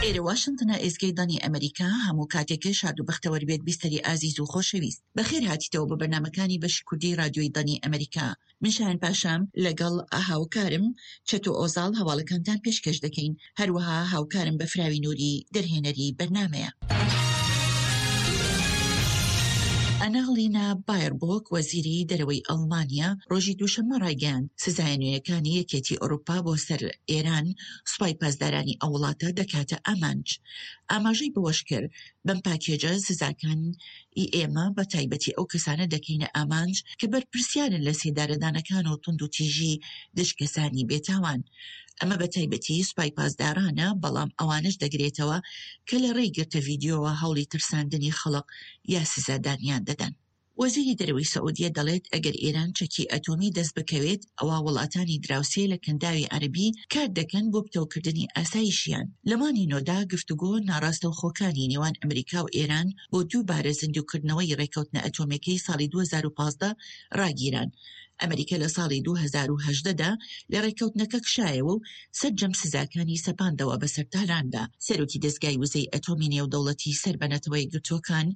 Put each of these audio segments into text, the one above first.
ئێرە واشنتنە ئێزگەی دەنگی ئەمریکا هەموو کاتێکێ شاد و بەختەوەر بێت بیستەری ئازیز و خۆشەویست بەخێر هاتیتەوە بۆ بەرنامەکانی بەشی کوردی رادیۆی دەنگی ئەمریکا من شایان پاشام لەگەڵ هاوکارم چەتۆ ئۆزاڵ هەواڵەکانتان پێشکەش دەکەین هەروەها هاوکارم بەفراوی نوری دەرهێنەری بەرنامەیە. ئەنالینا بایربۆک وەزیری دەرەوەی ئەڵمانیا ڕۆژی دووشەممە ڕایگەیاند سزایە نوێیەکانی یەکێتی ئەوروپا بۆ سەر ئێران سوپای پاسدارانی ئەو وڵاتە دەکاتە ئامانج. ئاماژەی بەوەشکرد، بەم پاکێجە سزاکان ی ئێمە بە تایبەتی ئەو کەسانە دەکەینە ئامانج کە بەرپرسیارن لە سێدارەدانەکان و توندوتیژی دژ کەسانی بێتاوان. ئەمە بە تایبەتی سوپای پاسدارانە، بەڵام ئەوانەش دەگرێتەوە کە لە ڕێی گرتە ڤیدیۆوە هەوڵی ترساندنی خەڵک یا سزادانیان دەدەن. وەزیری دەرەوەی سعودیە دەڵێت ئەگەر ئێران چەکی ئەتۆمی دەست بکەوێت ئەوا وڵاتانی دراوسێ لە کەنداوی عەرەبی کار دەکەن بۆ پتەوکردنی ئاسایشیان. لە مانگی نۆدا گفتوگۆ ناڕاستەوخۆکانی نێوان ئەمریکا و ئێران بۆ دووبارە زیندووکردنەوەی ڕێککەوتنە ئەتۆمیەکەی ساڵی 2015 ڕاگیران. ئەمریکا لە ساڵی 2018 دا لە ڕێککەوتنەکە کشایەوە و سەرجەم سزاکانی سەپاندەوە بەسەر تاراندا. سەرۆکی دەزگای وزەی ئەتۆمی نێودەوڵەتی سەر بە نەتەوەیەکگرتووەکان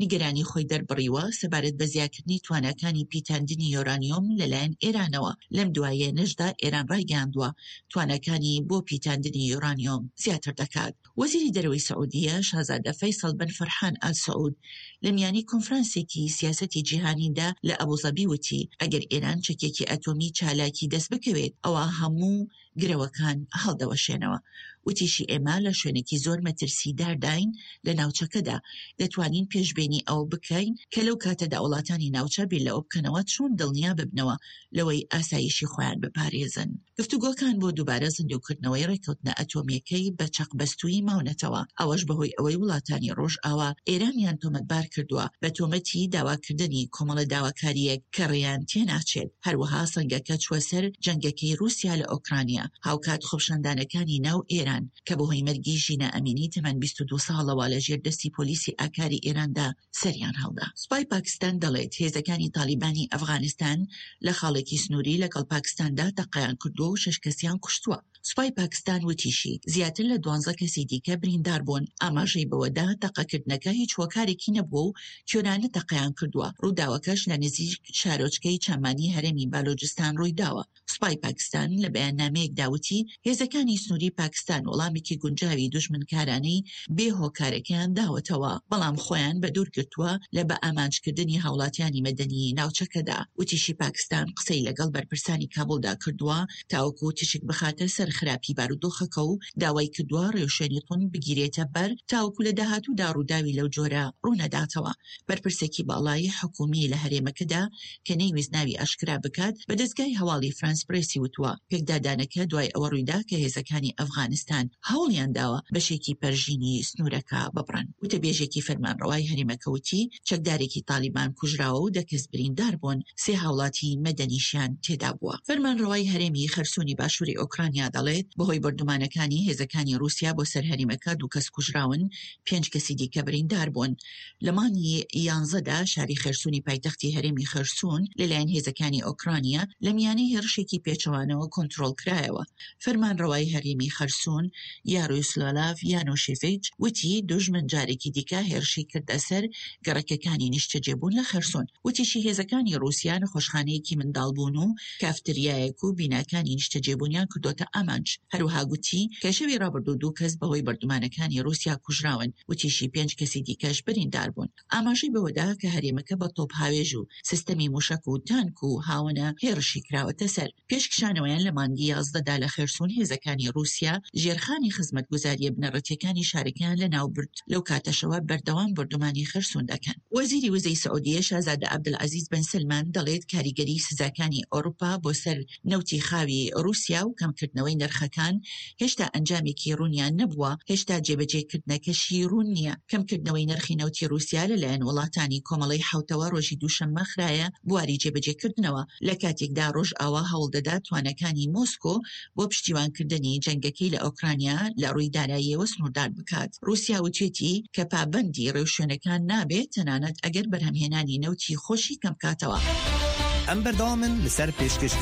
نیگەرانی خۆی دەربڕیوە سەبارەت بە زیاکردنی تواناکانی پیتاندنی یۆرانیۆم لەلایەن ئێرانەوە، لەم دواییەنەشدا ئێران ڕایگەیاندووە تواناکانی بۆ پیتاندنی یۆرانیۆم زیاتر دەکات. وەزیری دەرەوەی سعودیە، شازادە فەیسەڵ بن فەرحان ئال سعود لە میانی کۆنفرانسێکی سیاسەتی جیهانیدا لە ئەبوزەبی وتی، ئەگەر ئێران چەکێکی ئەتۆمی چالاکی دەست بکەوێت، ئەوا هەموو گرەوەکان هەڵدەوەشێنەوە. وتیشی ئێمە لە شوێنێکی زۆر مەترسیدارداین لە ناوچەکەدا، دەتوانین پێشبینی ئەوە بکەین کە لەو کاتەدا وڵاتانی ناوچە بیر لەوە بکەنەوە چۆن دڵنیا ببنەوە لەوەی ئاسایشی خۆیان بپارێزن. گفتوگۆکان بۆ دووبارە زیندووکردنەوەی ڕێککەوتنە ئەتۆمییەکەی بە چەقبەستوویی ماونەتەوە، ئەوەش بەهۆی ئەوەی وڵاتانی ڕۆژئاوا ئێرانیان تۆمەتبار کردووە بە تۆمەتی داواکردنی کۆمەڵە داواکارییەک کە ڕێیان تێناچێت، هەروەها سەنگەکە چووە سەر جەنگەکەی ڕووسیا لە ئۆکرانیا، هاوکات خۆپیشاندانەکانی ناو ئێران کە بەهۆی مەرگی ژینا ئەمینی تەمەن 22 ساڵەوە لەژێر دەستی پۆلیسی ئاکاری ئێراندا سەریان هەڵدا. سوپای پاکستان دەڵێت، هێزەکانی تاڵیبانی ئەفغانستان لە خاڵێکی سنووری لەگەڵ پاکستاندا تەقەیان کردووە و شەش کەسیان کوشتووە. سوپای پاکستان وتیشی، زیاتر لە دوانزە کەسی دیکە بریندار بوون. ئاماژەی بەوەدا، تەقەکردنەکە هیچ هۆکارێکی نەبووە و کوێرانە تەقەیان کردووە، ڕووداوەکەش لە نزیک شارۆچکەی چامانی هەرێمی بالۆجستان ڕوویداوە. سوپای پاکستان لە بەیاننامەیەکدا وتی، هێزەکانی سنووری پاکستان وەڵامێکی گونجاوی دوژمنکارانەی بێ هۆکارەکەیان داوەتەوە، بەڵام خۆیان بەدوور گرتووە لە بەئامانجکردنی هاوڵاتیانی مەدەنیی ناوچەکەدا. وتیشی پاکستان قسەی لەگەڵ بەرپرسانی کابوڵدا کردووە تاوەکو تیشک بخاتە سەر خراپی بارودۆخەکە و داوای کردووە ڕێوشوێنی توند بگیرێتە بەر تاوەکو لە داهاتوودا ڕووداوی لەو جۆرە ڕوونەداتەوە. بەرپرسێکی باڵای حکوومی لە هەرێمەکەدا کە نەیویست ناوی ئاشکرا بکات، بە دەزگای هەواڵی فرانس پرێسی وتووە، پێکدادانەکە دوای ئەوە ڕوویدا کە هێزەکانی ئەفغانستان هەوڵیان داوە بەشێکی پەرژینی سنوورەکە ببڕن. وتەبێژێکی فەرمانڕەوای هەرێمەکە وتی، چەکدارێکی تاڵیبان کوژراوە و دە کەس بریندار بوون، سێ هاوڵاتی مەدەنیشیان تێدا بووە. فەرمانڕەوای هەرێمی خەرسونی باشووری ئۆکرانیا دەڵێت، بەهۆی بۆردومانەکانی هێزەکانی ڕووسیا بۆ سەر هەرێمەکە دوو کەس کوژراون، پێنج کەسی دیکە بریندار بوون. لە مانگی یانزەدا شاری خێرسونی پایتەختی هەرێمی خێرسون لەلایەن هێزەکانی ئۆکرانیا لە میانەی هێرشێکی پێچەوانەوە کۆنترۆڵکرایەوە. فەرمانڕەوای هەرێمی خەرسون یاروسلاڤ یانوشێڤیچ وتی، دوژمن جارێکی دیکە هێرشی کردە سەر گەڕەکەکانی نیشتەجێبوون لە خێرسون. وتیشی هێزەکانی ڕووسیا نەخۆشخانەیەکی منداڵبوون و کافتریایەک و بیناکانی نیشتەجێبوونیان کردۆتە ئامانج. هەروەها گوتی کە شەوی ڕابردوو دوو کەس بەهۆی بۆردومانەکانی ڕووسیا کوژراون، وتیشی پێنج کەسی دیکەش بریندار بوون. ئاماژەی بەوەدا کە هەرێمەکە بە تۆپهاوێژ و سیستەمی موشەک و تانک و هاوەنە هێڕشی کراوەتە سەر. پێش کشانەوەیان لە مانگی 11 دا لە خێرسون هێزەکانی ڕووسیا ژێرخانی خزمەتگوزارییە بنەڕەتییەکانی شارەکەیان لەناوبرد، لەو کاتەشەوە بەردەوام بۆردومانی خێرسون دەکەن. وەزیری وزەی سعودیە شازادە عەبدولعەزیز بن سەلمان دەڵێت کاریگەریی سزاکانی ئەوروپا بۆ سەر نەوتی خاوی ڕووسیا و کەمکردنەوەی نرخەکان هێشتا ئەنجامێکی ڕوونیان نەبووە، هێشتا جێبەجێکردنەکەشی ڕوون نییە. کەمکردنەوەی نرخی نەوتی ڕووسیا لەلایەن وڵاتانی کۆمەڵەی حەوتەوە ڕۆژی دووشەممە خرایە بواری جێبەجێکردنەوە، لە کاتێکدا ڕۆژئاوا هەوڵدەدات تواناکانی مۆسکۆ بۆ پشتیوانکردنی جەنگەکەی لە ئۆکرانیا لە ڕووی داراییەوە سنووردار بکات. ڕووسیا وتوێتی کە پابەندی ڕێوشوێنەکان نابێت تەنانەت ئەگەر بەرهەمهێنانی نەوتی خۆشی کەمبکاتەوە. ئەم بەردەوامن لەسەر پێشکەشکردنی.